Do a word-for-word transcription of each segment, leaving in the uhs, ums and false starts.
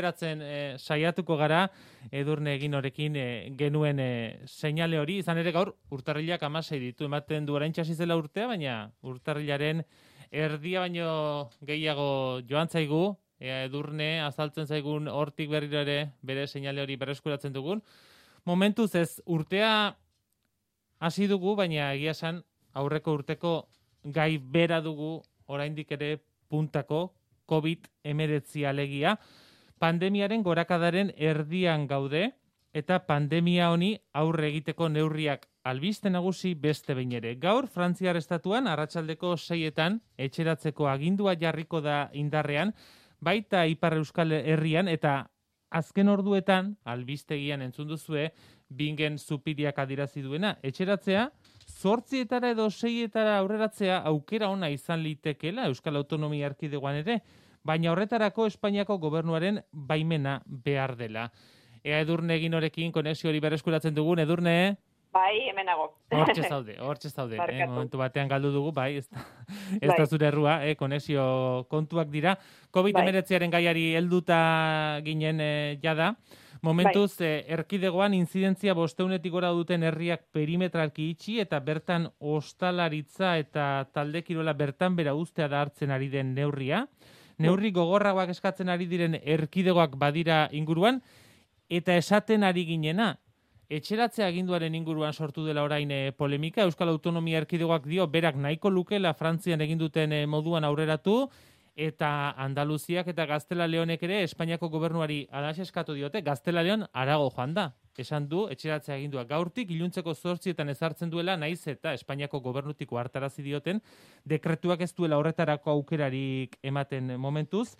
errekuperatzen e, saiatuko gara, Edurne Eginorekin e, genuen e, seinale hori, izan ere gaur urtarrilak hamasei ditu, ematen du orain txasi zela urtea, baina urtarrilaren erdia baino gehiago joan zaigu, ea Edurne azaltzen zaigun hortik berriro ere bere seinale hori berreskuratzen dugun. Momentuz ez urtea hasi dugu, baina egia esan aurreko urteko gai bera dugu oraindik ere puntako covid hemeretzi alegia. Pandemiaren gorakadaren erdian gaude eta pandemia honi aurre egiteko neurriak albiste nagusi beste behin ere. Gaur Frantziar estatuan arratsaldeko seietan etxeratzeko agindua jarriko da indarrean, baita Ipar Euskal Herrian eta azken orduetan, albistegian entzun duzue, Bingen Zupiriak adirazi duena, etxeratzea, zortzietara edo seietara aurreratzea aukera ona izan litekeela Euskal Autonomia Erkidegoan ere, baina horretarako Espainiako gobernuaren baimena behar dela. Ea Edurne Eginorekin konexio hori berreskuratzen dugun, Edurne? Bai, hemenago. Hortxe zaude, hortxe zaude. Eh? Momentu batean galdu dugu, bai, ez da, ez da zure errua, eh? Konexio kontuak dira. covid hemeretziaren gaiari helduta ginen eh, jada. Momentuz, bai. eh, erkidegoan inzidentzia bosteunetik gora duten herriak perimetralki itxi eta bertan ostalaritza eta talde kirola bertan bera ustea da hartzen ari den neurria. Neurri gogorragoak eskatzen ari diren erkidegoak badira inguruan, eta esaten ari ginena, etxeratzea aginduaren inguruan sortu dela orain e, polemika, Euskal Autonomia Erkidegoak dio berak nahiko lukela Frantzian egin duten e, moduan aurreratu, eta Andaluziak eta Gaztela Leonek ere Espainiako gobernuari alaxe eskatu diote, Gaztela Leon arago joan da. Esan du, etxeratzea agindua gaurtik, iluntzeko zortzietan ezartzen duela, naiz eta Espainiako gobernutiko hartarazi dioten, dekretuak ez duela horretarako aukerarik ematen momentuz.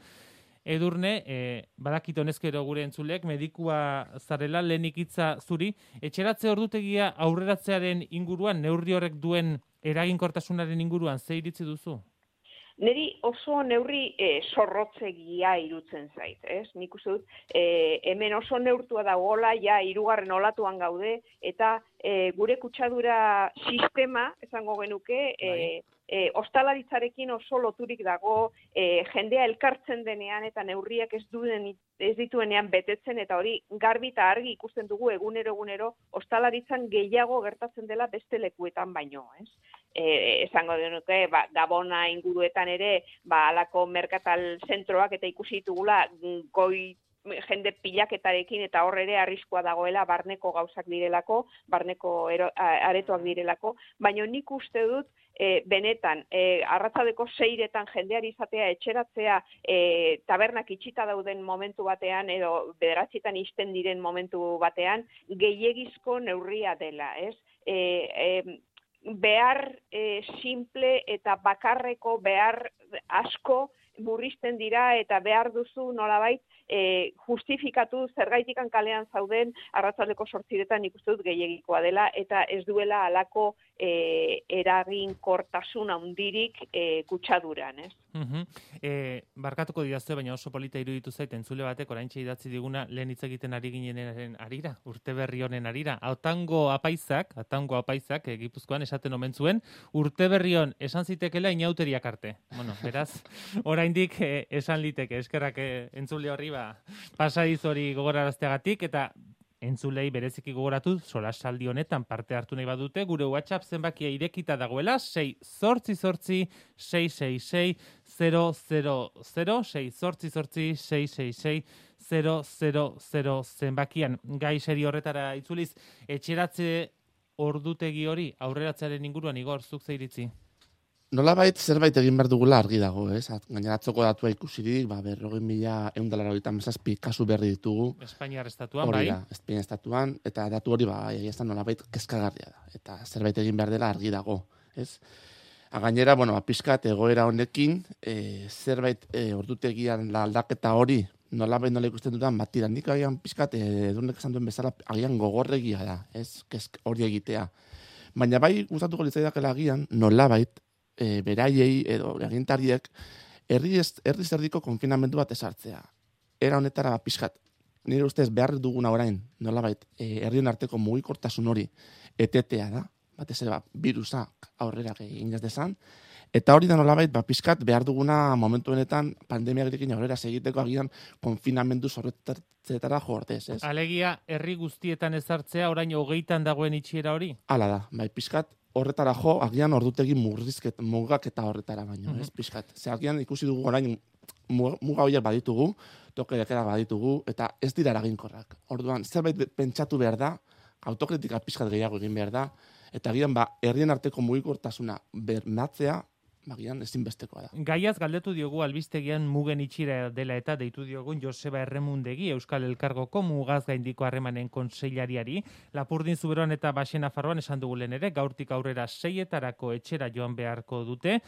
Edurne, eh, badakit honezkero gure entzulek, medikua zarela, lehenik hitza zuri, etxeratze ordutegia aurreratzearen inguruan, neurri horrek duen eraginkortasunaren inguruan, ze iritzi duzu? Neri oso neurri e, zorrotzegia irutzen zait, ez? Nik uste dut, e, hemen oso neurtua dagoela, ja hirugarren olatuan gaude, eta e, gure kutsadura sistema, esango genuke, e, e, ostalaritzarekin oso loturik dago, e, jendea elkartzen denean eta neurriak ez duen ez dituenean betetzen, eta hori garbi eta argi ikusten dugu egunero egunero ostalaritzan gehiago gertatzen dela beste lekuetan baino, ez? E, esango denuke, ba, Gabona inguruetan ere, ba, alako merkatal zentroak eta ikusi ditugula goi jende pilaketarekin eta hor ere arriskua dagoela barneko gauzak direlako, barneko ero, aretoak direlako, baina nik uste dut e, benetan, e, arratzaldeko seiretan jendeari izatea etxeratzea e, tabernak itxita dauden momentu batean edo bederatzietan isten diren momentu batean gehiegizko neurria dela, ez? E, e, behar e, simple eta bakarreko behar asko murrizten dira eta behar duzu nolabait e, justifikatu zergaitikan kalean zauden arratsaldeko zortziretan ikusten dut gehiegikoa dela eta ez duela halako e, eraginkortasun handirik e, kutsaduran, ez? Uh-huh. E, barkatuko didazte, baina oso polita iruditu zait entzule batek oraintxe idatzi diguna lehen hitz egiten ari ginenaren arira, urte berri honen arira. Autango apaizak, autango apaizak e, Gipuzkoan esaten omen zuen, urte berri hon esan zitekela inauteriak arte. Bueno, beraz, oraindik e, esan liteke, eskerrak e, entzule horri ba, pasadiz hori gogorarazteagatik, eta entzulei bereziki gogoratu solasaldi honetan parte hartu nahi badute, gure WhatsApp zenbakia irekita dagoela, sei zortzi zortzi sei sei sei zero zero zero, sei zortzi zortzi sei sei sei zero zero zero zenbakian. Gai seri horretara itzuliz, etxeratze ordutegi hori aurreratzearen inguruan, Igor, zuk ze iritzi? Nolabait zerbait egin behar dugula argi dago, ez? Gainera atzoko datua ikusirik, ba, berrogei mila ehun eta laurogeita hamazazpi kasu berri ditugu. Espainiar estatuan, bai? bai? Espainiar estatuan, eta datu hori, ba, egia ez da nolabait kezkagarria da. Eta zerbait egin behar dela argi dago, ez? Gainera, bueno, pixkat egoera honekin, e, zerbait e, ordutegian la aldaketa hori, nolabait nola ikusten dudan, bat tira, nik agian pixkat, edunek esan duen bezala, agian gogorregia da, ez? Kezk hori egitea. Baina bai, gustatuko litzaidakela agian, nolabait, E, beraiei edo agintariek herri herri zerdiko konfinamendu bat ezartzea. Era honetara pixkat. Nire ustez behar duguna orain, nolabait, e, herrien arteko mugikortasun hori etetea da, batez ere ba, virusak aurrera egin ez dezan, Eta hori da nolabait, ba, pizkat behar duguna momentu honetan pandemiarekin aurrera segiteko agian konfinamendu zorretzetara jo ordez, ez? Alegia, herri guztietan ezartzea, orain hogeitan dagoen itxiera hori? Hala da, bai, pizkat horretara jo, agian ordutegi murrizket, mugak eta horretara baino, ez, pizkat. Ze agian ikusi dugu orain muga horiek baditugu, toke dekerak baditugu, eta ez dira eraginkorrak. Orduan, zerbait pentsatu behar da, autokritika pizkat gehiago egin behar da, eta agian ba, herrien arteko mugikortasuna bermatzea, bagian ezinbestekoa da. Gaiaz galdetu diogu albistegian mugen itxira dela eta deitu diogun Joseba Erremundegi Euskal Elkargoko mugaz gaindiko harremanen kontseilariari. Lapurdin Zuberoan eta Baxen Nafarroan esan dugu lehen ere, gaurtik aurrera seietarako etxera joan beharko dute.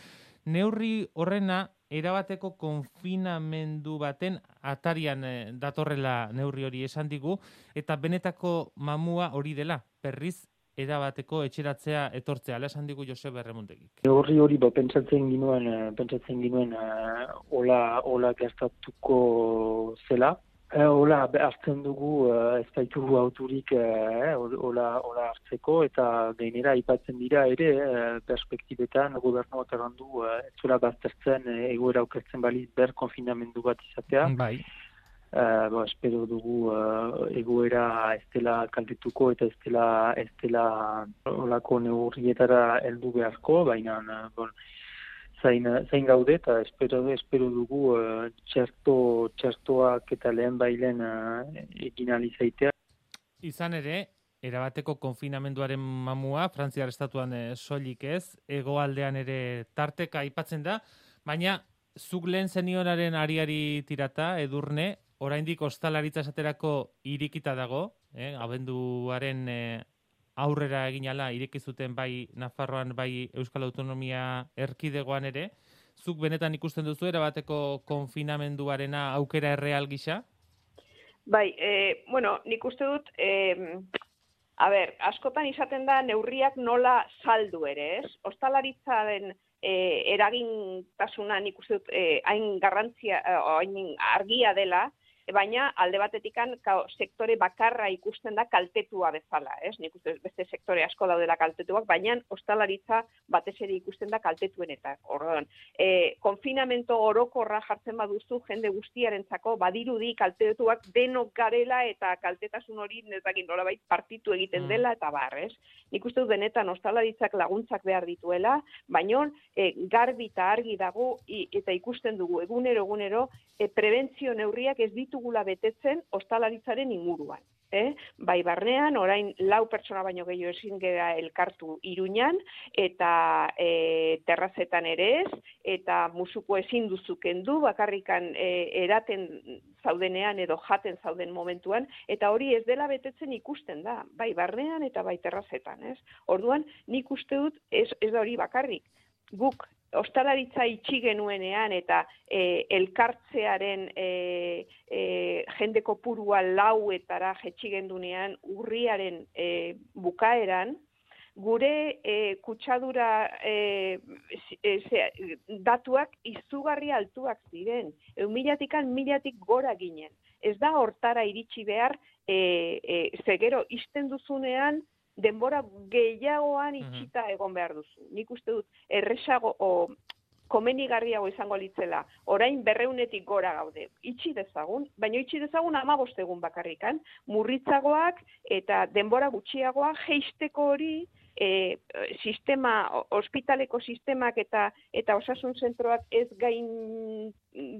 Neurri horrena erabateko konfinamendu baten atarian eh, datorrela neurri hori esan digu, eta benetako mamua hori dela, berriz erabateko etxeratzea etortzea, ala esan digu Joseba Erremuntegik. Neurri hori ba, pentsatzen ginuen, pentsatzen ginuen uh, ola, ola gertatuko zela. Uh, ola hartzen dugu uh, ez baitugu auturik uh, ola, ola hartzeko, eta gainera aipatzen dira ere uh, perspektibetan gobernuak errandu uh, ez zuela baztertzen uh, egoera okertzen baliz ber konfinamendu bat izatea. Bai. Uh, bo, espero dugu uh, egoera ez dela kaltetuko eta ez dela, ez dela olako neurrietara heldu beharko, baina uh, bon, zain, zain gaude eta espero, espero dugu uh, txerto, txertoak eta lehen bailen uh, egin alizaitea. Izan ere, erabateko konfinamenduaren mamua, Frantziar estatuan eh, soilik ez, hegoaldean ere tarteka aipatzen da, baina zuk lehen zenionaren ariari tirata, Edurne, oraindik ostalaritza esaterako irikita dago, eh, abenduaren eh, aurrera egin ala ireki zuten bai Nafarroan bai Euskal Autonomia Erkidegoan ere. Zuk benetan ikusten duzu erabateko konfinamenduarena aukera erreal gisa? Bai, e, bueno, nik uste dut, e, a ber, askotan izaten da neurriak nola saldu ere, ez? Ostalaritzaren e, eragintasuna nik uste dut e, hain garrantzia, hain argia dela, baina alde batetikan sektore bakarra ikusten da kaltetua bezala, ez? Nik uste beste sektore asko daudela kaltetuak, baina ostalaritza batez ere ikusten da kaltetuenetak. Orduan, e, konfinamento orokorra jartzen baduzu jende guztiarentzako badirudi kaltetuak denok garela eta kaltetasun hori nezakin nolabait partitu egiten dela eta bar, ez? Nik uste dut benetan ostalaritzak laguntzak behar dituela, baina e, garbi eta argi dago i, eta ikusten dugu egunero egunero e, prebentzio neurriak ez ditugula betetzen ostalaritzaren inguruan. Eh? Bai barnean, orain lau pertsona baino gehiago ezin gara elkartu Iruñan, eta e, terrazetan ere ez, eta musuko ezin duzu kendu, bakarrikan e, eraten zaudenean edo jaten zauden momentuan, eta hori ez dela betetzen ikusten da, bai barnean eta bai terrazetan. Ez? Orduan, nik uste dut ez, ez da hori bakarrik. Guk ostalaritza itxi genuenean eta e, elkartzearen e, e, jende kopurua lauetara jetxi gendunean urriaren e, bukaeran, gure e, kutsadura e, e, ze, datuak izugarri altuak ziren. Eumilatikan milatik gora ginen. Ez da hortara iritsi behar, e, e, zegero izten duzunean, denbora gehiagoan itxita egon behar duzu. Nik uste dut erresago o komenigarriago izango litzela. Orain berreunetik gora gaude. Itxi dezagun, baina itxi dezagun hamabost egun bakarrikan. Murritzagoak eta denbora gutxiagoa jeisteko hori e, sistema, ospitaleko sistemak eta eta osasun zentroak ez gain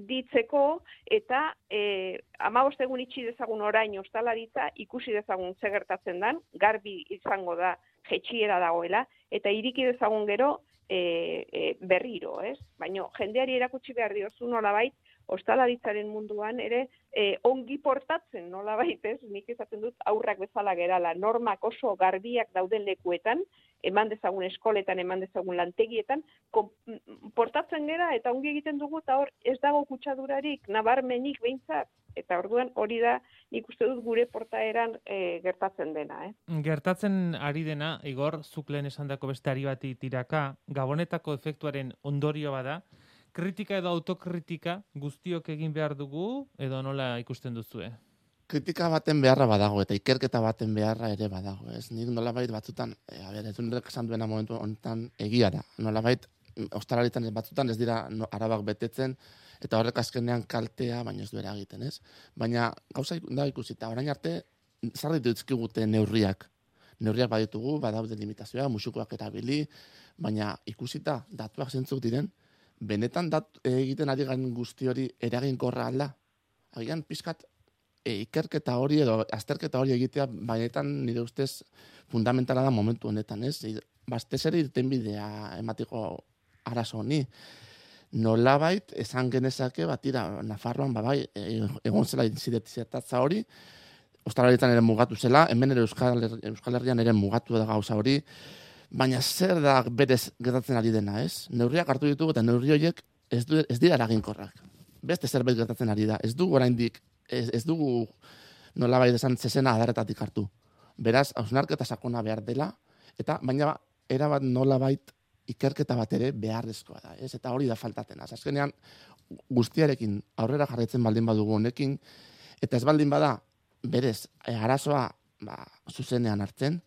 ditzeko eta e, hamabost egun itxi dezagun orain ostalaritza ikusi dezagun ze gertatzen dan, garbi izango da jetxiera dagoela, eta iriki dezagun gero e, e, berriro, ez? Baina jendeari erakutsi behar diozu nolabait, ostalaritzaren munduan ere e, ongi portatzen nolabait, ez? Nik esaten dut aurrak bezala gerala, normak oso garbiak dauden lekuetan, eman dezagun eskoletan, eman dezagun lantegietan, portatzen gera eta ongi egiten dugu, eta hor ez dago kutsadurarik, nabarmenik behintzat. Eta orduan hori da nik uste dut gure portaeran e, gertatzen dena. Eh? Gertatzen ari dena, Igor, zuk lehen esandako beste ari bati tiraka, gabonetako efektuaren ondorio bada, kritika edo autokritika guztiok egin behar dugu, edo nola ikusten duzue? Kritika baten beharra badago, eta ikerketa baten beharra ere badago. Ez? Nik nolabait batzutan, e, a ber, ez duenek esan duena momentu honetan egia da. Nolabait, ostalaritan batzutan ez dira no, arabak betetzen, eta horrek azkenean kaltea, baina ez du eragiten, ez? Baina gauza da ikusita, orain arte, zarritu dizkigute neurriak. Neurriak baditugu, badaude limitazioa, musukoak erabili, baina ikusita, datuak zentzuk diren, benetan dat, egiten ari garen guzti hori eraginkorra alda. Agian pizkat e, ikerketa hori edo azterketa hori egitea, benetan nire ustez fundamentala da momentu honetan, ez? Bastez ere irten bidea ematiko arazo honi. Nolabait, esan genezake, batira, Nafarroan, babai, egon zela zertatza hori, ostalaritan ere mugatu zela, hemen ere Euskal, Euskal Herrian ere mugatu da gauza hori, baina zer da berez gertatzen ari dena, ez? Neurriak hartu ditugu eta neurri horiek ez, du, ez dira eraginkorrak. Beste zerbait gertatzen ari da. Ez dugu oraindik, ez, ez dugu nolabait esan zezena adarretatik hartu. Beraz, hausnarketa sakona behar dela, eta baina erabat nolabait ikerketa bat ere beharrezkoa da, ez? Eta hori da faltaten. Azkenean guztiarekin aurrera jarraitzen baldin badugu honekin, eta ez baldin bada berez arazoa ba, zuzenean hartzen,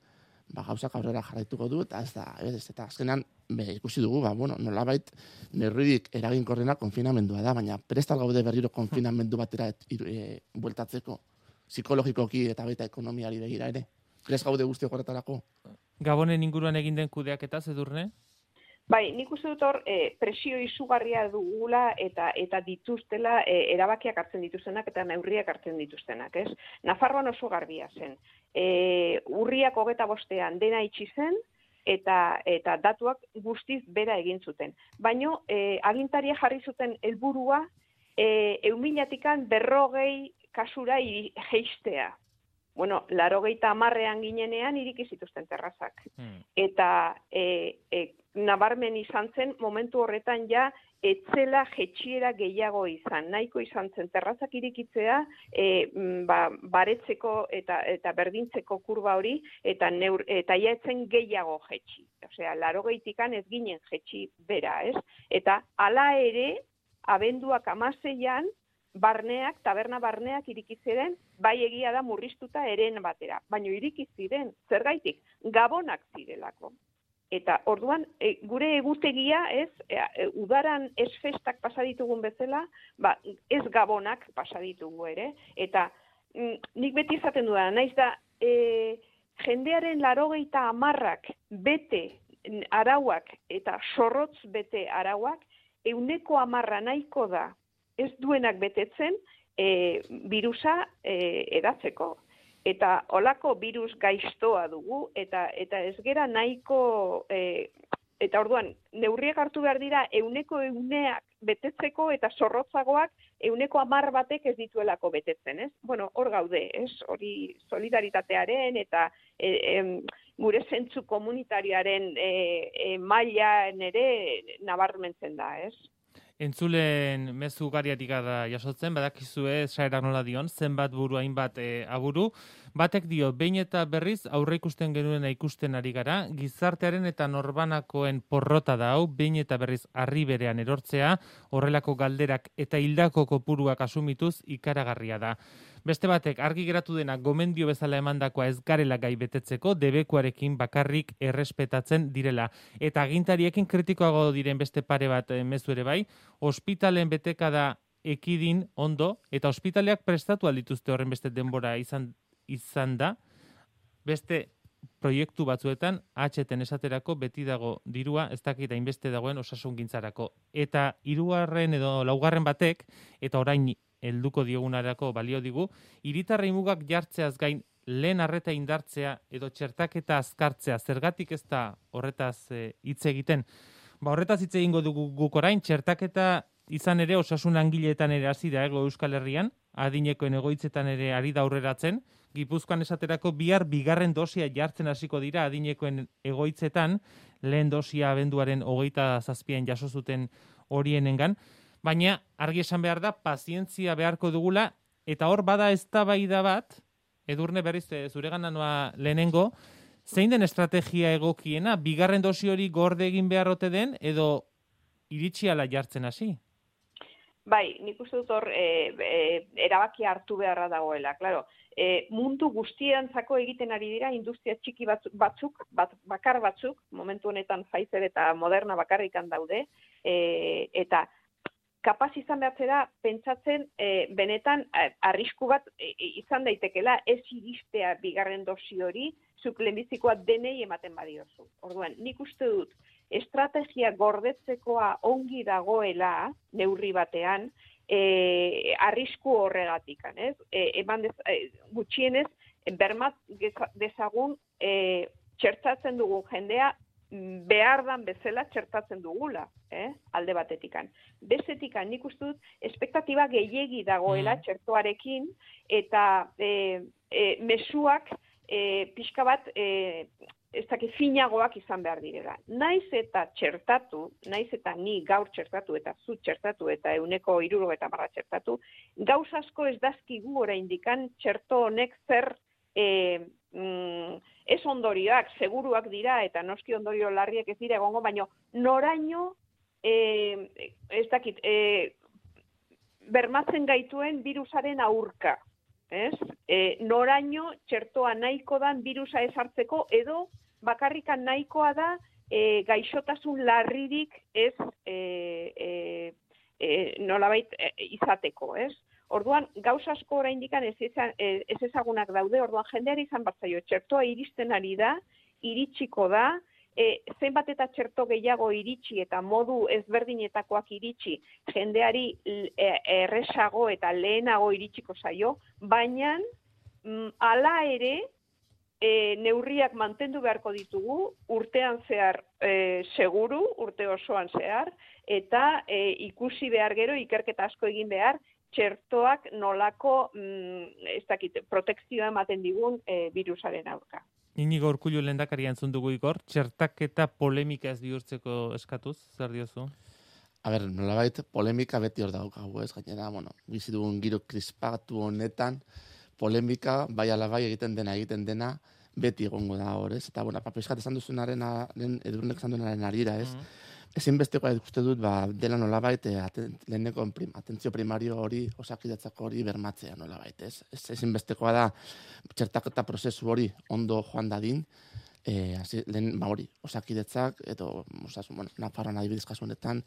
ba, gauzak aurrera jarraituko du, eta ez da, ez, eta azkenean be, ikusi dugu, ba, bueno, nolabait neurririk eraginkorrena konfinamendua da, baina prestal gaude berriro konfinamendu batera et, e, bueltatzeko, psikologikoki eta baita ekonomiari begira ere. Prest gaude guztiok horretarako? Gabonen inguruan egin den kudeaketa, Edurne? Bai, nik uste dut hor e, presio izugarria dugula eta eta dituztela e, erabakiak hartzen dituztenak eta neurriak hartzen dituztenak, ez? Nafarroan oso garbia zen. E, urriak hogeta bostean dena itxi zen eta eta datuak guztiz bera egin zuten. Baino e, agintaria jarri zuten helburua e, eumilatikan berrogei kasura jeistea. Bueno, larogeita hamarrean ginenean iriki zituzten terrazak. Hmm. Eta e, e, nabarmen izan zen, momentu horretan ja, etzela jetxiera gehiago izan. Nahiko izan zen terrazak irikitzea, e, ba, baretzeko eta, eta berdintzeko kurba hori, eta, neur, eta ja etzen gehiago jetxi. Osea, larogeitikan ez ginen jetxi bera, ez? Eta hala ere, abenduak hamaseian, barneak, taberna barneak iriki ziren, bai egia da murriztuta eren batera. Baina iriki ziren, zergaitik, gabonak zirelako. Eta orduan, e, gure egutegia ez, e, e, udaran ez festak pasaditugun bezala, ba, ez gabonak pasaditugu ere. Eta m, nik beti izaten dudan, naiz da, e, jendearen larogeita hamarrak bete arauak eta sorrotz bete arauak, euneko hamarra nahiko da, ez duenak betetzen e, virusa e, edatzeko. Eta olako virus gaiztoa dugu, eta eta ez gera nahiko, e, eta orduan, neurriak hartu behar dira euneko euneak betetzeko, eta zorrotzagoak euneko hamar batek ez dituelako betetzen, ez? Bueno, hor gaude, ez? Hori solidaritatearen eta e, e, gure zentzu komunitarioaren e, e, mailan ere nabarmentzen da, ez? Entzulen mezu ugariatik da jasotzen, badakizue saerak nola dion, zenbat buru hainbat e, aburu. Batek dio, behin eta berriz aurre ikusten genuena ikusten ari gara, gizartearen eta norbanakoen porrota da hau, behin eta berriz harri berean erortzea, horrelako galderak eta hildako kopuruak asumituz ikaragarria da. Beste batek, argi geratu dena gomendio bezala emandakoa ez garela gai betetzeko, debekuarekin bakarrik errespetatzen direla. Eta agintariekin kritikoago diren beste pare bat e, mezu ere bai, ospitalen betekada ekidin ondo, eta ospitaleak prestatu aldituzte horren beste denbora izan, izan da, beste proiektu batzuetan, H T esaterako beti dago dirua, ez dakit hainbeste dagoen osasungintzarako. Eta hirugarren edo laugarren batek, eta orain helduko diogunarako balio digu, hiritarrei mugak jartzeaz gain lehen arreta indartzea edo txertaketa azkartzea, zergatik ez da horretaz hitz e, egiten. Ba, horretaz hitz egingo dugu guk orain, txertaketa izan ere osasun langileetan ere hasi da ego Euskal Herrian, adinekoen egoitzetan ere ari da aurreratzen, Gipuzkoan esaterako bihar bigarren dosia jartzen hasiko dira adinekoen egoitzetan, lehen dosia abenduaren hogeita zazpian jaso zuten horienengan, baina argi esan behar da, pazientzia beharko dugula, eta hor bada eztabaida bat, Edurne berriz zuregana noa lehenengo, zein den estrategia egokiena, bigarren dosi hori gorde egin beharrote den, edo iritsi ala jartzen hasi? Bai, nik uste dut hor e, e, erabakia hartu beharra dagoela, claro. E, mundu guztientzako egiten ari dira industria txiki batzuk, batzuk bat, bakar batzuk, momentu honetan Pfizer eta Moderna bakarrikan daude, e, eta kapaz izan behatzera pentsatzen e, benetan arrisku bat e, izan daitekela ez iristea bigarren dosi hori, zuk lehenbizikoa denei ematen badiozu. Orduan, nik uste dut, estrategia gordetzekoa ongi dagoela, neurri batean, e, arrisku horregatikan, ez? E, eman dez, e, gutxienez, bermat dezagun e, txertatzen dugun jendea behar dan bezala txertatzen dugula, eh? Alde batetikan. Bezetikan, nik uste dut, espektatiba gehiegi dagoela mm. txertoarekin, eta e, e, mezuak e, pixka bat e, ez dakit finagoak izan behar direla. Naiz eta txertatu, naiz eta ni gaur txertatu eta zu txertatu eta euneko hiruro eta marra txertatu, gauz asko ez dazkigu oraindikan txerto honek zer e, mm, ez ondorioak, seguruak dira eta noski ondorio larriek ez dira egongo, baino noraino e, ez dakit, e, bermatzen gaituen virusaren aurka. Ez? E, noraino txertoa nahiko dan virusa ezartzeko edo bakarrikan nahikoa da e, gaixotasun larririk ez e, e, e, nolabait e, izateko, ez? Orduan, gauz asko oraindikan ez, ez ezagunak daude, orduan jendeari izan batzaio, txertoa iristen ari da, iritsiko da, e, zenbat eta txerto gehiago iritsi eta modu ezberdinetakoak iritsi, jendeari e, erresago eta lehenago iritsiko zaio, baina mm, ala ere, E, neurriak mantendu beharko ditugu, urtean zehar e, seguru, urte osoan zehar, eta e, ikusi behar gero, ikerketa asko egin behar, txertoak nolako, mm, ez dakit, protekzioa ematen digun e, virusaren aurka. Inigo Urkullu lehendakaria entzun dugu Igor, txertaketa polemika ez bihurtzeko eskatuz, zer diozu? A ber, nolabait polemika beti hor daukagu, ez gainera, bueno, bizi dugun giro krispatu honetan, polemika, bai ala bai egiten dena, egiten dena, beti egongo da hor, ez? Eta, bueno, papiskat esan duzunaren, edurnek esan duenaren arira, ez? Mm-hmm. Ezinbestekoa uste dut, ba, dela nolabait, aten, leheneko prim, atentzio primario hori, osakidetzako hori bermatzea nolabait, ez? Ez ezinbestekoa da, txertaketa prozesu hori ondo joan dadin, e, hasi, lehen, ba hori, osakidetzak, edo, osasun, bueno, Nafarroan adibidez kasunetan,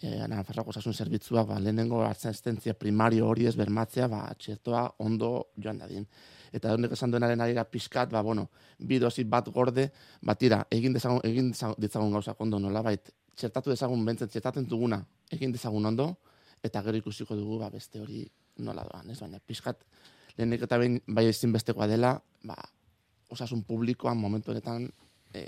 E, Nafarroako osasun zerbitzuak ba, lehenengo asistentzia primario hori ez bermatzea, ba, txertoa ondo joan dadin. Eta honek esan duenaren arira pixkat, ba, bueno, bi dosi bat gorde, bat tira, egin dezagun, egin dezagun gauzak ondo nolabait, txertatu dezagun bentzen, txertatzen duguna, egin dezagun ondo, eta gero ikusiko dugu ba, beste hori nola doan, ez? Baina pixkat, lehenek eta behin bai ezinbestekoa dela, ba, osasun publikoan momentu honetan, e,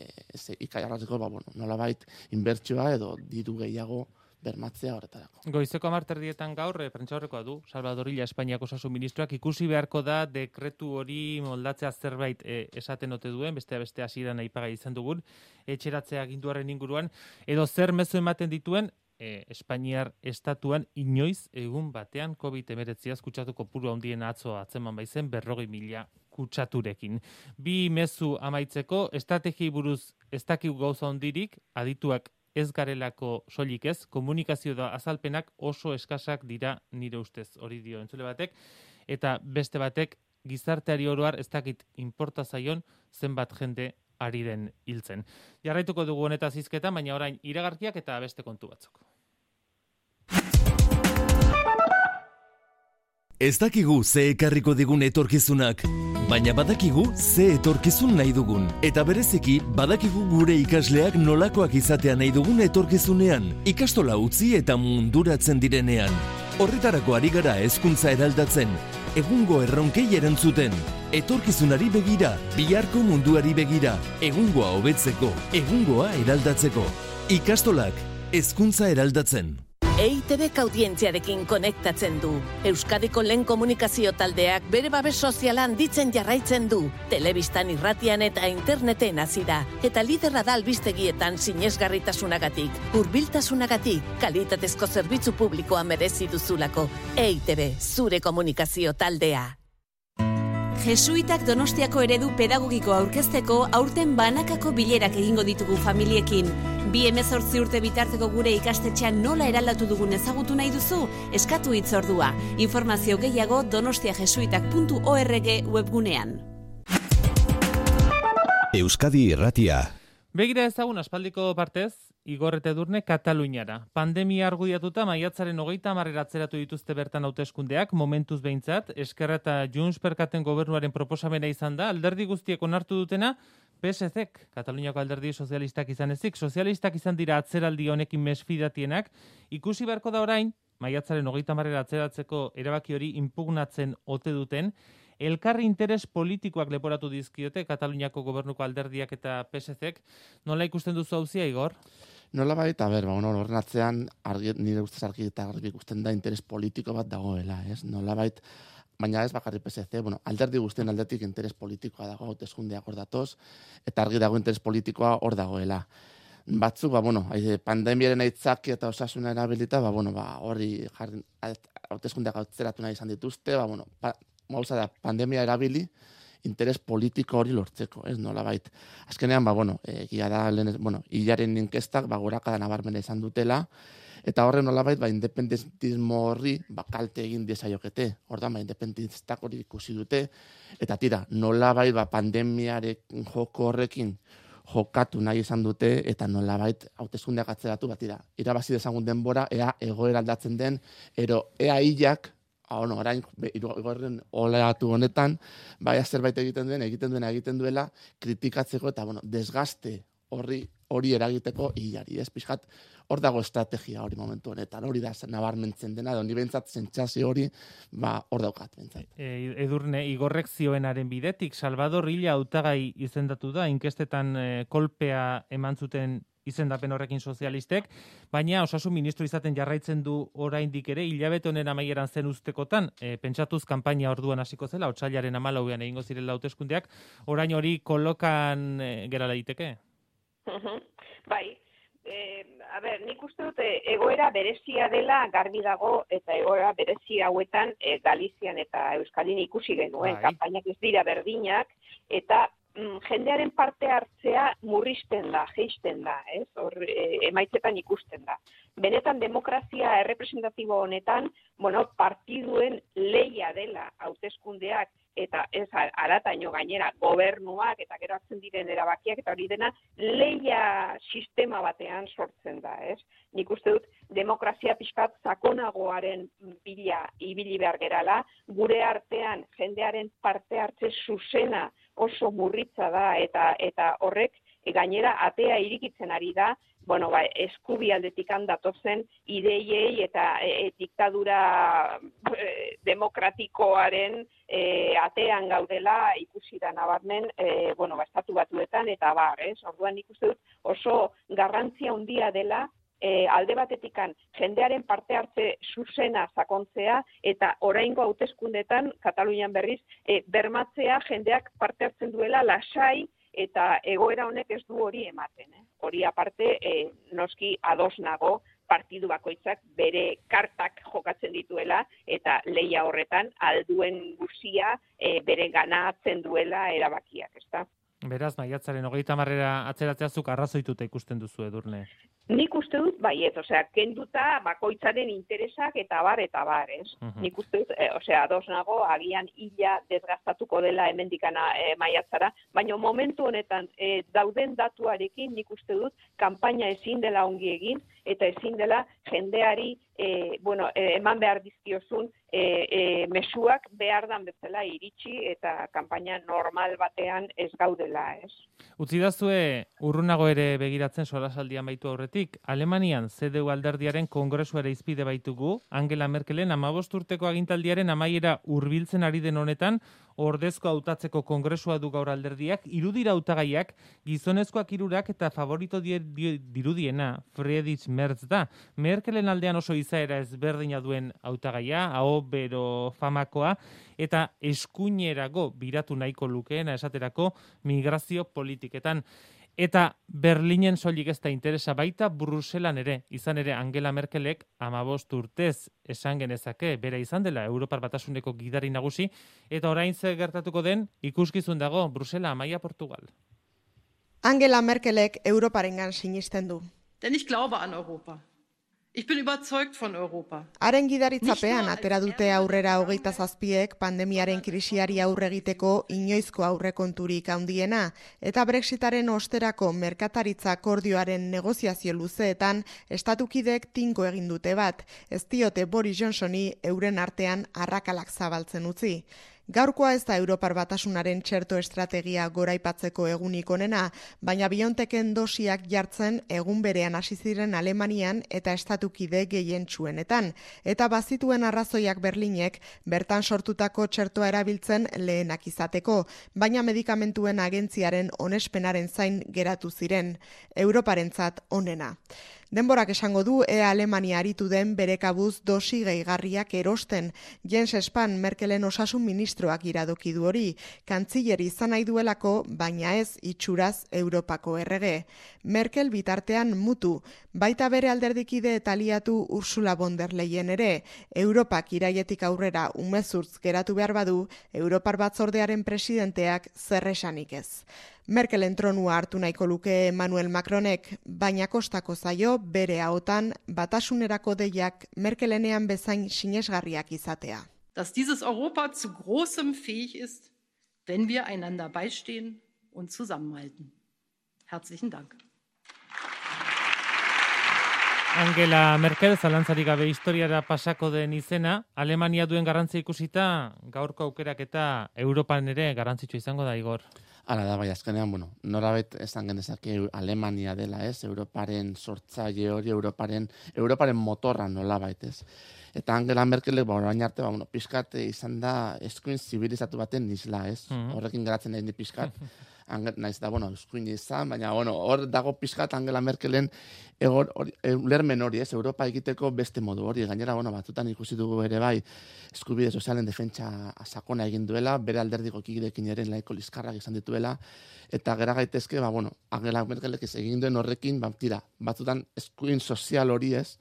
ikaiarraziko, ba, bueno, nolabait, inbertsioa edo diru gehiago, bermatzea horretarako. Goizeko hamarterdietan gaur, e, prentsaurrekoa du, Salvador Illa Espainiako osasun ministroak, ikusi beharko da dekretu hori moldatzea zerbait e, esaten ote duen, bestea beste hasieran aipagai izan dugun, etxeratzea aginduaren inguruan, edo zer mezu ematen dituen, e, Espainiar estatuan inoiz egun batean covid hemeretziaz kutsatuko kopuru handien atzo atzeman baizen berrogei mila kutsaturekin. Bi mezu amaitzeko, estrategiei buruz ez dakigu gauza hondirik, adituak ez garelako soilik ez, komunikazio da azalpenak oso eskasak dira nire ustez, hori dio entzule batek, eta beste batek gizarteari oroar ez dakit inporta zaion zenbat jende ari den hiltzen. Jarraituko dugu honetaz hizketan, baina orain iragarkiak eta beste kontu batzuk. Ez dakigu ze ekarriko digun etorkizunak, baina badakigu ze etorkizun nahi dugun. Eta bereziki, badakigu gure ikasleak nolakoak izatea nahi dugun etorkizunean, ikastola utzi eta munduratzen direnean. Horretarako ari gara hezkuntza eraldatzen, egungo erronkei erantzuten, etorkizunari begira, biharko munduari begira, egungoa hobetzeko, egungoa eraldatzeko. Ikastolak, hezkuntza eraldatzen. E I Te Bek audientziarekin konektatzen du. Euskadiko lehen komunikazio taldeak bere babes soziala handitzen jarraitzen du. Telebistan, irratian eta interneten hasi da. Eta liderra da albistegietan sinesgarritasunagatik, hurbiltasunagatik, kalitatezko zerbitzu publikoa merezi duzulako. E I Te Be, zure komunikazio taldea. Jesuitak Donostiako eredu pedagogiko aurkezteko aurten banakako bilerak egingo ditugu familiekin. Bi hemezortzi urte bitarteko gure ikastetxean nola eraldatu dugun ezagutu nahi duzu? Eskatu hitzordua. Informazio gehiago donostiajesuitak puntu org webgunean. Euskadi Irratia. Begira ezagun aspaldiko partez, Igor eta Edurne Kataluniara. Pandemia argudiatuta maiatzaren hogeita hamarrera atzeratu dituzte bertan hauteskundeak, momentuz behintzat, Eskerra eta Junts perkaten gobernuaren proposamena izan da, alderdi guztiek onartu dutena, P S C-ek, Kataluniako alderdi sozialistak izan ezik, sozialistak izan dira atzeraldi honekin mesfidatienak, ikusi beharko da orain, maiatzaren hogeita hamarrera atzeratzeko erabaki hori impugnatzen ote duten, elkarri interes politikoak leporatu dizkiote Kataluniako gobernuko alderdiak eta P S C-ek. Nola ikusten duzu auzia, Igor? Nola bai, eta ber, ba, bueno, horren atzean, argi, nire ustez argi eta argi ikusten da interes politiko bat dagoela, ez? Nola bait, baina ez bakarri P S C, bueno, alderdi guztien aldetik interes politikoa dago, hauteskundeak hor datoz, eta argi dago interes politikoa hor dagoela. Batzuk, ba, bueno, pandemiaren aitzaki eta osasuna erabilita, ba, bueno, ba, horri jarri, hauteskundeak atzeratu nahi izan dituzte, ba, bueno, pa, Mauza da, pandemia erabili, interes politiko hori lortzeko, ez nola bait. Azkenean, ba, bueno, egia da, lehen, bueno, hilaren inkestak, ba, gorakada nabarmena izan dutela, eta horren nola bait, ba, independentismo horri, ba, kalte egin diezaiokete, ordan, ba, independentistak hori ikusi dute, eta tira, nola bait, ba, pandemiaren joko horrekin jokatu nahi izan dute, eta nola bait, hauteskundeak atzeratu, ba, tira, irabazi dezagun denbora, ea egoera aldatzen den, ero, ea hilak, Ah, no, orain, igorren oleatu honetan, bai zerbait egiten duen, egiten duena egiten duela, kritikatzeko eta, bueno, desgaste horri hori eragiteko hilari, ez? Pixkat, hor dago estrategia hori momentu honetan, hori da nabarmentzen dena, doni bentsat sentsazio hori, ba, hor daukat bentsat. E, Edurne, Igorrek zioenaren bidetik, Salvador Illa hautagai izendatu da, inkestetan e, kolpea eman zuten izendapen horrekin sozialistek, baina osasun ministro izaten jarraitzen du oraindik ere, hilabete honen amaieran zen ustekotan, e, pentsatuz kanpaina orduan hasiko zela, otsailaren hamalauean egingo zirela hauteskundeak, orain hori kolokan e, gera daiteke? Bai, e, a ber, nik uste dut egoera berezia dela garbi dago, eta egoera berezia hauetan e, Galizian eta Euskalin ikusi genuen, bai. Kanpainak ez dira berdinak, eta jendearen parte hartzea murrizten da, jeisten da, ez? Hor, e, emaitzetan ikusten da. Benetan demokrazia errepresentatibo honetan, bueno, partiduen leia dela hauteskundeak eta ez arataino gainera gobernuak eta gero hartzen diren erabakiak eta hori dena leia sistema batean sortzen da, ez? Nik uste dut demokrazia pixkat sakonagoaren bila ibili behar gerala, gure artean jendearen parte hartze zuzena oso murritza da eta eta horrek gainera atea irikitzen ari da, bueno, ba, eskubialdetik handatozen ideiei eta e, diktadura e, demokratikoaren e, atean gaudela ikusi da nabarmen, e, bueno, ba, estatu batuetan eta bar, ez? Orduan ikuste dut oso garrantzia handia dela E, alde batetikan jendearen parte hartze zuzena sakontzea eta oraingo hauteskundetan Katalunian berriz e, bermatzea jendeak parte hartzen duela lasai eta egoera honek ez du hori ematen. Eh? Hori aparte e, noski ados nago partidu bakoitzak bere kartak jokatzen dituela eta leia horretan alduen guzia e, bere ganatzen duela erabakiak, ezta? Beraz, maiatzaren hogeita hamarrera atzeratzea zuk arrazoituta ikusten duzu, Edurne. Nik uste dut, baiet, osea, kenduta bakoitzaren interesak eta bar, eta bar, ez? Uh-huh. Nik uste dut, e, osea, ados nago, agian illa desgastatuko dela hemendikana e, maiatzara, baina momentu honetan e, dauden datuarekin nik uste dut, kanpaina ezin dela ongi egin, eta ezin dela jendeari, e, bueno, e, eman behar dizkiozun, e, e, mesuak behar dan bezala iritsi, eta kanpaina normal batean ez gaudela, ez? Utzidazue, urrunago ere begiratzen solasaldian baitu aurretik, Alemanian C D U alderdiaren kongresuare izpide baitugu, Angela Merkelen hamabost urteko agintaldiaren amaiera hurbiltzen ari den honetan, ordezko hautatzeko kongresua du gaur alderdiak, irudira hautagaiak, gizonezkoak hirurak eta favorito die, die, dirudiena, Friedrich Merz da. Merkelen aldean oso izaera ezberdina duen hautagaia, aho bero famakoa, eta eskuinerago biratu nahiko lukeena esaterako migrazio politiketan. Eta Berlinen soilik ez da interesa baita Bruselan ere, izan ere Angela Merkelek hamabost urtez esan genezake, bera izan dela Europar Batasuneko gidari nagusi, eta orain ze gertatuko den ikuskizun dago Brusela, Amaia, Portugal. Angela Merkelek Europarengan sinisten du. Denn ich glaube an Europa. Ich bin überzeugt von Europa. Haren gidaritzapean atera dute aurrera hogeita zazpiek pandemiaren krisiari aurre egiteko inoizko aurrekonturik handiena, eta Brexitaren osterako merkataritza akordioaren negoziazio luzeetan estatukidek tinko egin dute bat, ez diote Boris Johnsoni euren artean arrakalak zabaltzen utzi. Gaurkoa ez da Europar Batasunaren txerto estrategia goraipatzeko egunik onena, baina BioNTeken dosiak jartzen egun berean hasi ziren Alemanian eta estatukide gehientsuenetan, eta bazituen arrazoiak Berlinek bertan sortutako txertoa erabiltzen lehenak izateko, baina medikamentuen agentziaren onespenaren zain geratu ziren, Europarentzat onena. Denborak esango du ea Alemania aritu den bere kabuz dosi gehigarriak erosten. Jens Spahn Merkelen osasun ministroak iradoki du hori, kantziler izan nahi duelako, baina ez itxuraz Europako errege. Merkel bitartean mutu, baita bere alderdikide eta aliatu Ursula von der Leyen ere, Europak iraietik aurrera umezurtz geratu behar badu, Europar Batzordearen presidenteak zer esanik ez. Merkelen tronua hartu nahiko luke Emmanuel Macronek, baina kostako zaio bere ahotan batasunerako deiak Merkelenean bezain sinesgarriak izatea. Dass dieses Europa zu großem fähig ist, wenn wir einander beistehen und zusammenhalten. Herzlichen Dank. Angela Merkel, zalantzarik gabe historiara pasako den izena, Alemania duen garrantzia ikusita, gaurko aukerak eta Europan ere garrantzitsua izango da, Igor. Hala da, bai, azkenean, bueno, norabet esan genezake Alemania dela, ez? Europaren sortzaile hori, Europaren, Europaren motorra nolabait, ez? Eta Angela Merkelek, ba, orain arte, ba, bueno, pixkat izan da eskuin zibilizatu baten isla, ez? Mm-hmm. Horrekin geratzen nahi ni pixkat. Naiz da, bueno, eskuin izan, baina, bueno, hor dago pixkat Angela Merkelen egor, or, ulermen hori, ez? Europa egiteko beste modu hori. Gainera, bueno, batzutan ikusi dugu ere bai, eskubide sozialen defentsa sakona egin duela, bere alderdiko kidekin ere laiko liskarrak izan dituela, eta gera gaitezke, ba, bueno, Angela Merkelek egin duen horrekin, ba, tira, batzutan eskuin sozial hori ez,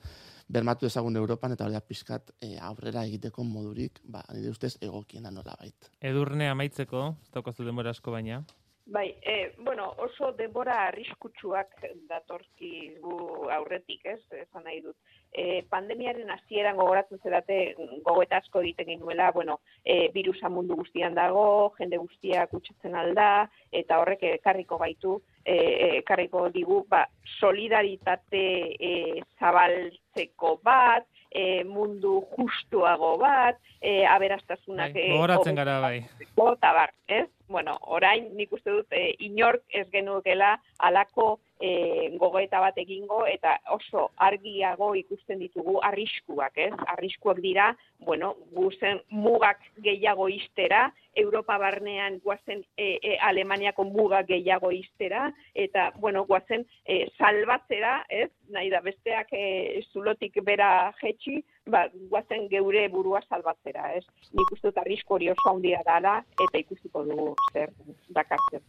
bermatu ezagun Europan, eta hori da pixkat e, aurrera egiteko modurik, ba, nire ustez egokiena nolabait. Edurne amaitzeko, ez daukazu denbora asko baina. Bai, e, bueno, oso denbora arriskutsuak datorki gu aurretik, ez, esan nahi dut. E, pandemiaren hasieran gogoratzen zerate gogoeta asko egiten genuela, bueno, e, virusa mundu guztian dago, jende guztiak kutsatzen alda, eta horrek ekarriko gaitu, e, ekarriko digu, ba, solidaritate e, zabaltzeko bat, e, mundu justuago bat, e, aberastasunak... Bai, gogoratzen gara bai. Eta bar, ez? Bueno, orain nik uste dut e, inork ez genukela alako e, gogoeta bat egingo eta oso argiago ikusten ditugu arriskuak, ez? Arriskuak dira, bueno, guzen mugak gehiago iztera, Europa barnean guazen e, e, Alemaniako mugak gehiago iztera, eta, bueno, guazen e, salbatzera, ez? Nahi da besteak e, zulotik bera jetxi, ba, guazen geure burua salbatzera, ez? Nik uste dut arrisku hori oso handia dala, eta ikusiko dugu zer dakartzen.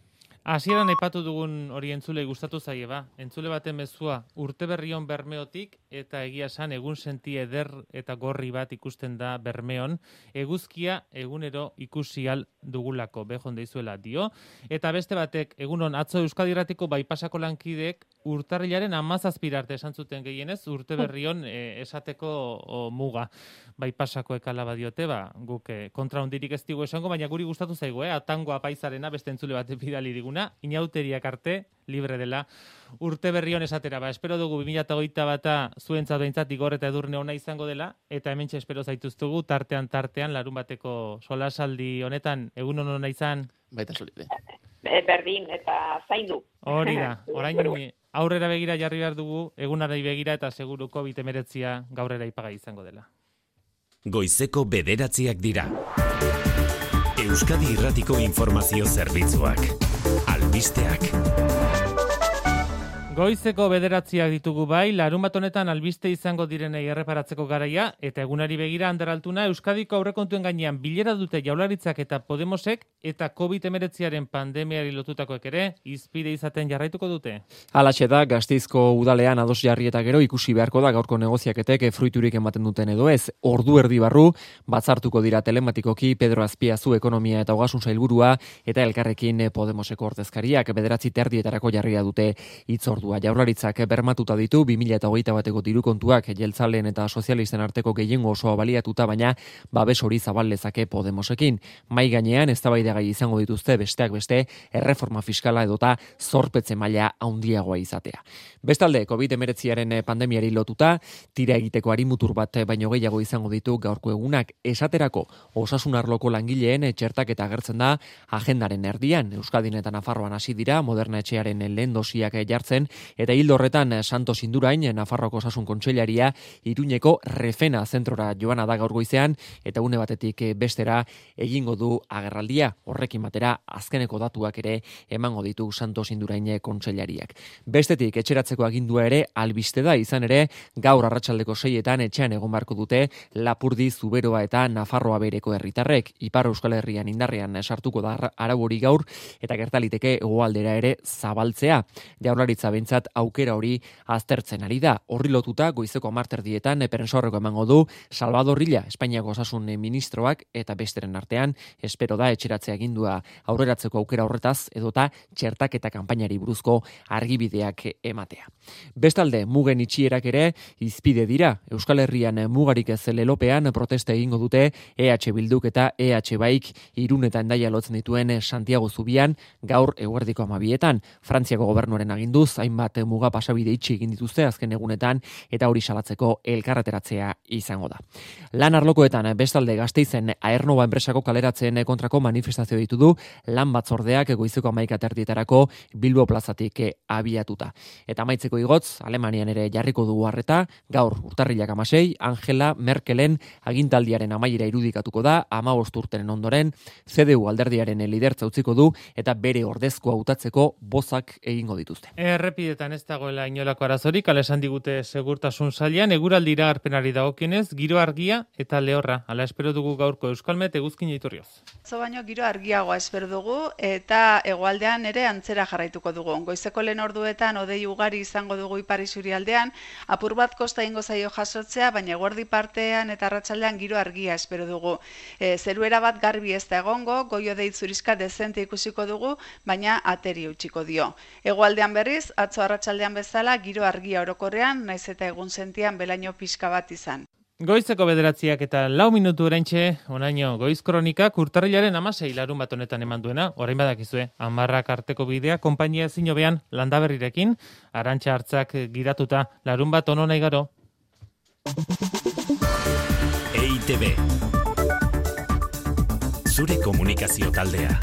Hasieran aipatu dugun hori entzule gustatu zaie ba. Entzule baten mezua urte berrion Bermeotik eta egia esan egun senti eder eta gorri bat ikusten da Bermeon. Eguzkia egunero ikusi al dugulako bejon deizuela dio. Eta beste batek egunon atzo Euskadi Irratiko Baipasako lankideek urtarrilaren hamazazpira arte esan zuten gehienez urte berrion e, esateko o, muga. Baipasako ekala badiote ba guk e, kontra hondirik ez digu esango, baina guri gustatu zaigu, eh? Atango apaizarena beste entzule bat bidali diguna, inauteriak arte libre dela urte berrion esatera. Ba, espero dugu bi mila hogeita bata zuentzat behintzat Igor eta Edurne ona izango dela, eta hementxe espero zaituztugu tartean tartean larun bateko solasaldi honetan egun ona izan. Baita solide. Berdin eta zaindu. Hori da, orain aurrera begira jarri behar dugu, egunari begira eta seguru covid hemeretzia gaurrera ipagai izango dela. Goizeko bederatziak dira. Euskadi Irratiko informazio zerbitzuak. Albisteak. Goizeko bederatziak ditugu bai, larunbat honetan albiste izango direnei erreparatzeko garaia, eta egunari begira Anderaltuna Euskadiko aurrekontuen gainean bilera dute Jaurlaritzak eta Podemosek, eta covid hemeretziaren pandemiari lotutakoek ere, hizpide izaten jarraituko dute. Halaxe da, Gasteizko udalean ados jarri eta gero ikusi beharko da gaurko negoziaketek fruiturik ematen duten edo ez. Ordu erdi barru, batzartuko dira telematikoki Pedro Azpiazu ekonomia eta ogasun sailburua, eta elkarrekin Podemoseko ordezkariak bederatzi terdietarako jarria dute hitz ordua. Jaurlaritzak bermatuta ditu bi mila hogeita bateko diru kontuak jeltzaleen eta sozialisten arteko gehiengo osoa baliatuta, baina babes hori zabal lezake Podemosekin. Mai gainean eztabaidagai izango dituzte besteak beste erreforma fiskala edota zorpetze maila handiagoa izatea. Bestalde, covid hemeretziaren pandemiari lotuta, tira egiteko arimutur bat baino gehiago izango ditu gaurko egunak. Esaterako, osasun arloko langileen txertaketa agertzen da agendaren erdian. Euskadin eta Nafarroan hasi dira Moderna etxearen lehen dosiak jartzen, eta hildo horretan Santos Indurain, Nafarroko Osasun Kontseilaria, Iruñeko Refena zentrora joana da gaur goizean, eta une batetik bestera egingo du agerraldia. Horrekin batera azkeneko datuak ere emango ditu Santos Indurain kontseilariak. Bestetik etxeratzeko agindua ere albiste da, izan ere gaur arratsaldeko seietan etxean egon beharko dute Lapurdi, Zuberoa eta Nafarroa bereko herritarrek. Ipar Euskal Herrian indarrean sartuko da arau hori gaur, eta gertaliteke hegoaldera ere zabaltzea. Jaurlaritza bentsat aukera hori aztertzen ari da. Horri lotuta goizeko hamarterdietan perensorreko emango du Salvador Illa, Espainiako Osasun Ministroak, eta besteren artean espero da etxeratzea agindua aurreratzeko aukera horretaz edota txertaketa kanpainari buruzko argibideak ematea. Bestalde, mugen itxierak ere hizpide dira. Euskal Herrian mugarik ez lelopean protesta egingo dute E H Bilduk eta E H Baik Irun eta Hendaia lotzen dituen Santiago Zubian gaur eguerdiko amabietan. Frantziako gobernuaren aginduz, hainbat muga pasabide itxi egin dituzte azken egunetan, eta hori salatzeko elkarreteratzea izango da. Lan arlokoetan bestalde Gasteizen Aernova enpresako kaleratzen kontrako manifestazio ditu du lan batzordeak goizeko hamaika terdietarako Bilbo plazatik abiatuta. Eta amaitzeko igotz, Alemanian ere jarriko dugu harreta, gaur urtarrilak hamasei, Angela Merkelen agintaldiaren amaiera irudikatuko da, hamabost urteren ondoren, C D U alderdiaren lidertza utziko du, eta bere ordezkoa hautatzeko bozak egingo dituzte. Errepidetan ez dagoela inolako arazorik, ala esan digute segurtasun sailean, eguraldi iragarpenari dagokionez, giro argia eta lehorra. Hala espero dugu gaurko Euskalmet eguzkin iturrioz. Zo baino giro argiagoa espero dugu eta hegoaldean ere antzera jarraituko dugu. Goizeko lehen orduetan hodei ugari izango dugu ipar isurialdean, apur bat kosta ingo zaio jasotzea, baina eguerdi partean eta arratsaldean giro argia espero dugu. E, zeruera bat garbi ez da egongo, goio deit zurizka dezente ikusiko dugu, baina ateri utziko dio. Hegoaldean berriz, atzo arratsaldean bezala giro argia orokorrean, naiz eta egun sentian belaino pixka bat izan. Goizeko bederatziak eta lau minutu oraintxe, onaino goiz kronikak urtarrilaren hamasei larun bat honetan eman duena, orain badakizue, hamarrak arteko bidea, konpainia ezin hobean Landaberrirekin, Arantxa Hartzak giratuta, larun bat ono nahi garo. E I T B. Zure komunikazio taldea.